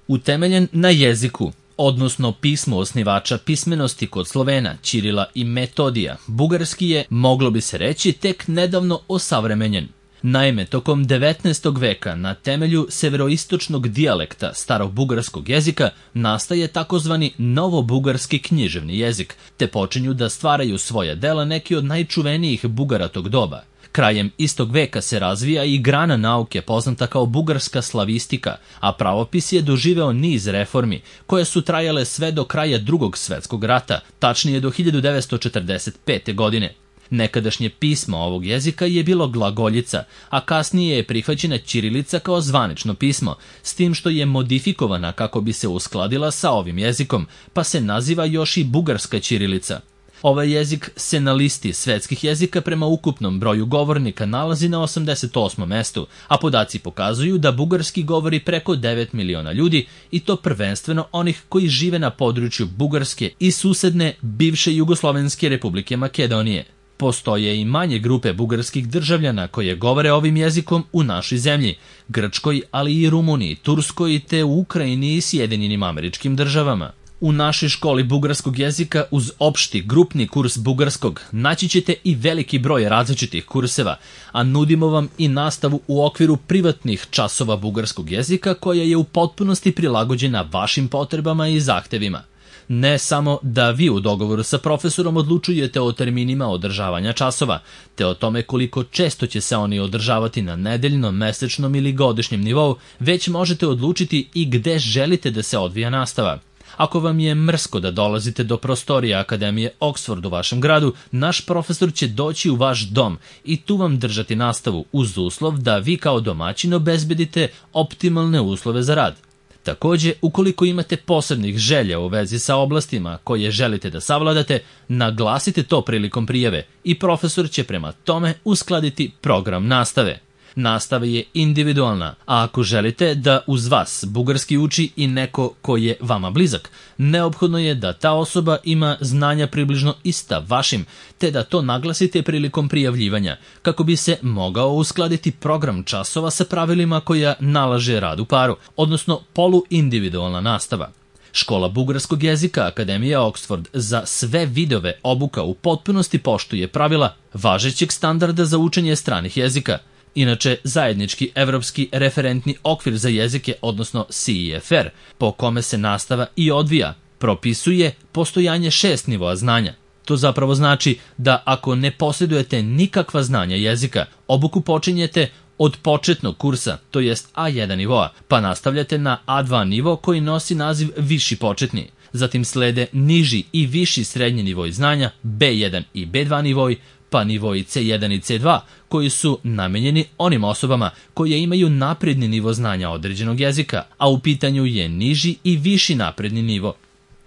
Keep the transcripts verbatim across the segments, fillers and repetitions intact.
Utemeljen na jeziku, odnosno pismu osnivača pismenosti kod Slovena, Ćirila i Metodija, bugarski je, moglo bi se reći, tek nedavno osavremenjen. Naime, tokom devetnaestog veka na temelju severoistočnog dijalekta starog bugarskog jezika nastaje takozvani novobugarski književni jezik, te počinju da stvaraju svoja dela neki od najčuvenijih Bugara tog doba. Krajem istog veka se razvija i grana nauke poznata kao bugarska slavistika, a pravopis je doživeo niz reformi, koje su trajale sve do kraja Drugog svetskog rata, tačnije do hiljadu devetsto četrdeset pete. godine. Nekadašnje pismo ovog jezika je bilo glagoljica, a kasnije je prihvaćena ćirilica kao zvanično pismo, s tim što je modifikovana kako bi se uskladila sa ovim jezikom, pa se naziva još i bugarska ćirilica. Ovaj jezik se na listi svetskih jezika prema ukupnom broju govornika nalazi na osamdeset osmom mestu, a podaci pokazuju da bugarski govori preko devet miliona ljudi i to prvenstveno onih koji žive na području Bugarske i susedne bivše Jugoslovenske republike Makedonije. Postoje i manje grupe bugarskih državljana koje govore ovim jezikom u našoj zemlji, Grčkoj, ali i Rumuniji, Turskoj te u Ukrajini i Sjedinjenim Američkim Državama. U našoj školi bugarskog jezika uz opšti grupni kurs bugarskog naći ćete i veliki broj različitih kurseva, a nudimo vam i nastavu u okviru privatnih časova bugarskog jezika koja je u potpunosti prilagođena vašim potrebama i zahtevima. Ne samo da vi u dogovoru sa profesorom odlučujete o terminima održavanja časova, te o tome koliko često će se oni održavati na nedeljnom, mesečnom ili godišnjem nivou, već možete odlučiti i gde želite da se odvija nastava. Ako vam je mrsko da dolazite do prostorija Akademije Oxford u vašem gradu, naš profesor će doći u vaš dom i tu vam držati nastavu uz uslov da vi kao domaćin obezbedite optimalne uslove za rad. Takođe, ukoliko imate posebnih želja u vezi sa oblastima koje želite da savladate, naglasite to prilikom prijave i profesor će prema tome uskladiti program nastave. Nastava je individualna, a ako želite da uz vas bugarski uči i neko ko je vama blizak, neophodno je da ta osoba ima znanja približno ista vašim, te da to naglasite prilikom prijavljivanja, kako bi se mogao uskladiti program časova sa pravilima koja nalaže rad u paru, odnosno poluindividualna nastava. Škola bugarskog jezika Akademija Oxford za sve vidove obuka u potpunosti poštuje pravila važećeg standarda za učenje stranih jezika. Inače, zajednički evropski referentni okvir za jezike, odnosno C E F R, po kome se nastava i odvija, propisuje postojanje šest nivoa znanja. To zapravo znači da ako ne posjedujete nikakva znanja jezika, obuku počinjete od početnog kursa, to jest A jedan nivoa, pa nastavljate na A dva nivo koji nosi naziv viši početni. Zatim slede niži i viši srednji nivoi znanja, B jedan i B dva nivoi, pa nivoi C jedan i C dva, koji su namenjeni onim osobama koje imaju napredni nivo znanja određenog jezika, a u pitanju je niži i viši napredni nivo.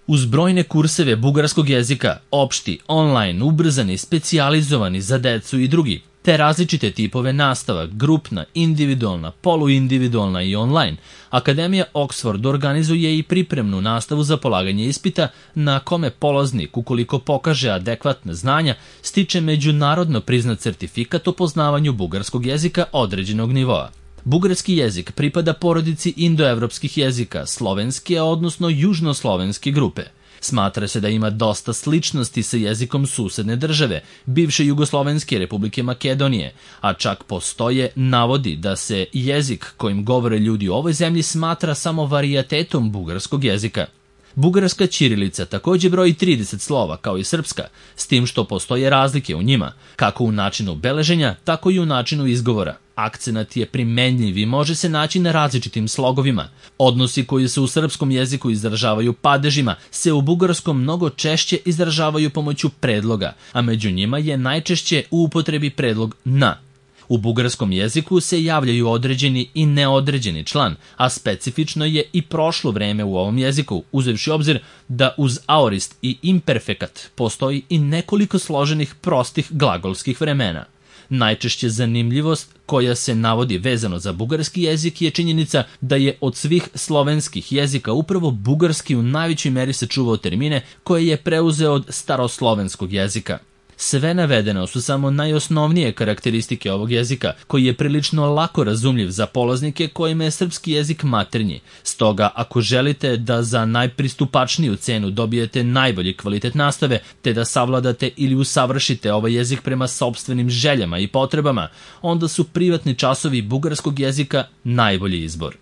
Uz brojne kurseve bugarskog jezika, opšti, online, ubrzani, specijalizovani za decu i drugi, te različite tipove nastava, grupna, individualna, poluindividualna i online, Akademija Oxford organizuje i pripremnu nastavu za polaganje ispita na kome polaznik, ukoliko pokaže adekvatna znanja, stiče međunarodno priznat certifikat o poznavanju bugarskog jezika određenog nivoa. Bugarski jezik pripada porodici indoevropskih jezika, slovenske, odnosno južnoslovenske grupe. Smatra se da ima dosta sličnosti sa jezikom susedne države, bivše Jugoslovenske republike Makedonije, a čak postoje navodi da se jezik kojim govore ljudi u ovoj zemlji smatra samo varijatetom bugarskog jezika. Bugarska ćirilica takođe broji trideset slova kao i srpska, s tim što postoje razlike u njima, kako u načinu beleženja, tako i u načinu izgovora. Akcenat je primenljiv i može se naći na različitim slogovima. Odnosi koji se u srpskom jeziku izražavaju padežima se u bugarskom mnogo češće izražavaju pomoću predloga, a među njima je najčešće u upotrebi predlog na. U bugarskom jeziku se javljaju određeni i neodređeni član, a specifično je i prošlo vreme u ovom jeziku, uzevši obzir da uz aorist i imperfekat postoji i nekoliko složenih prostih glagolskih vremena. Najčešće zanimljivost koja se navodi vezano za bugarski jezik je činjenica da je od svih slovenskih jezika upravo bugarski u najvećoj meri sačuvao termine koje je preuzeo od staroslovenskog jezika. Sve navedeno su samo najosnovnije karakteristike ovog jezika, koji je prilično lako razumljiv za polaznike kojima je srpski jezik maternji. Stoga, ako želite da za najpristupačniju cenu dobijete najbolji kvalitet nastave, te da savladate ili usavršite ovaj jezik prema sopstvenim željama i potrebama, onda su privatni časovi bugarskog jezika najbolji izbor.